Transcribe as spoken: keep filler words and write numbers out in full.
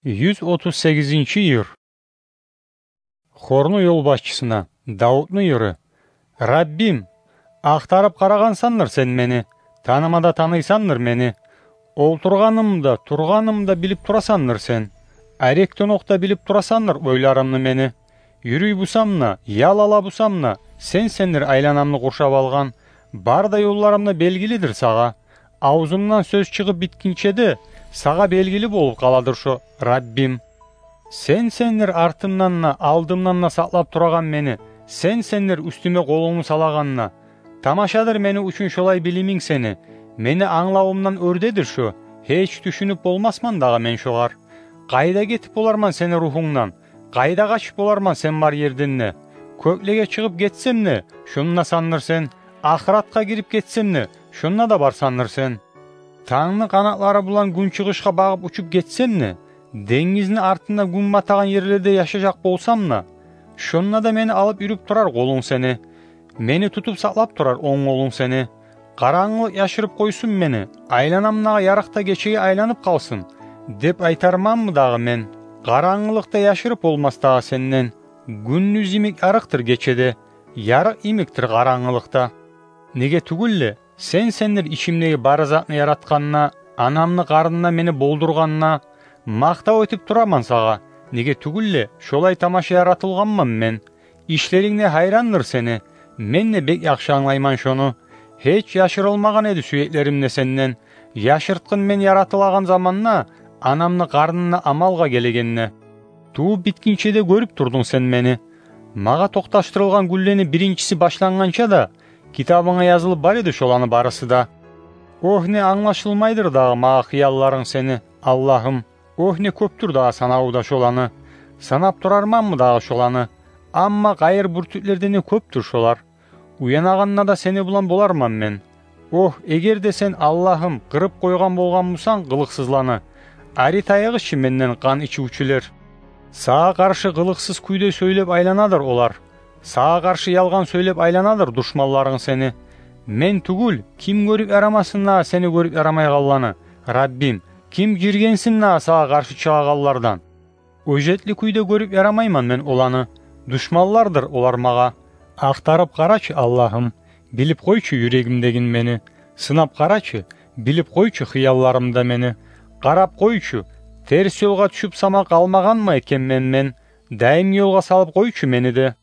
Юз отуз сегизинчи йыр. Хорну ёлбашчысына. Давутну йыры. Раббим, ахтарып къарагъансандыр сен мени, таныма да таныйсандыр мени. Олтургъанымда, тургъанымда билип турасандыр сен. Арекден окъ да билип турасандыр ойларымны мени. Юрюй бусам да, ял ала бусам да, сенсендир айланамны къуршап алгъан. Бар да ёлларым да белгилидир сагъа. Авзумдан сёз чыгъып битгинче де, сагъа белгили болуп къаладыр шо, Раббим. Сенсендир артымдан да, алдымдан да сакълап турагъан мени, сенсендир уьстюме къолунгну салагъан да. Тамашадыр мени учун шолай билиминг сени. Мени англавумдан оьрдедир шо, гьеч тюшюнюп болмасман дагъы мен шогъар. Къайда гетип боларман сени рухунгдан? Къайда къачып боларман сен бар ерден де? Кёклеге чыгъып гетсем де, шонда сандыр сен. Ахыратгъа гирип гетсем де, шонда да барсандыр сен. Тангны къанатлары булан гюнчыгъышгъа багъып учуп гетсем де, денгизни артында гюн батагъан ерлерде яшажакъ болсам да, шонда да мени алып юрюп турар къолунг сени. Мени тутуп сакълап турар онг къолунг сени. Къарангылыкъ яшырып къойсун мени, айланам дагъы ярыкъда гечеге айланып къалсын, деп айтарманмы дагъы мен? Къарангылыкъ да яшырып болмас дагъы сенден. Гюндюз йимик ярыкъдыр гече де, ярыкъ йимикдир къарангылыкъ да. Неге тюгюл де, сенсендир ичимдеги бары затны яратгъан да, анамны къарнында мени болдургъан да. Макътав этип тураман сагъа, неге тюгюл де, шолай тамаша яратылгъанман мен. Ишлеринг де гьайрандыр сени, мен де бек яхшы англайман шону. Гьеч яшырылмагъан эди сюеклерим де сенден. Яшыртгъын мен яратылагъан заманда, анамны къарнында амалгъа гелегенде. Тувуп битгинче де гёрюп турдунг сен мени. Магъа токъташдырылгъан гюнлени биринчиси башлангъанча да, китабынга язылып бар эди шоланы барысы да. Огь, не англашылмайдыр дагъы магъа хыялларынг сени, Аллагьым! Огь, не кёпдюр дагъы санаву да шоланы! Санап турарманмы дагъы шоланы? Амма къайыр бюртюклерден де кёпдюр шолар. Уянагъанда да сени булан боларман мен. Огь, эгер де сен, Аллагьым, къырып къойгъан болгъан бусанг къылыкъсызланы, ари тайыгъыз чы менден, къан ичивчюлер. Сагъа къаршы къылыкъсыз кюйде сёйлеп айланадыр олар. Сагъа къаршы ялгъан сёйлеп айланадыр душманларынг сени. Мен тюгюл, ким гёрюп ярамасын дагъы сени гёрюп ярамайгъанланы, Раббим? Ким жиргенсин дагъы сагъа къаршы чыгъагъанлардан? Оьжетли кюйде гёрюп ярамайман мен оланы. Душманлардыр олар магъа. Ахтарып къарачы, Аллагьым, билип къойчу юрегимдегин мени. Сынап къарачы, билип къойчу хыялларымда мени. Къарап къойчу, терс ёлгъа тюшюп сама къалмагъанмы экен мен, мен? Даимги ёлгъа салып къойчу мени де.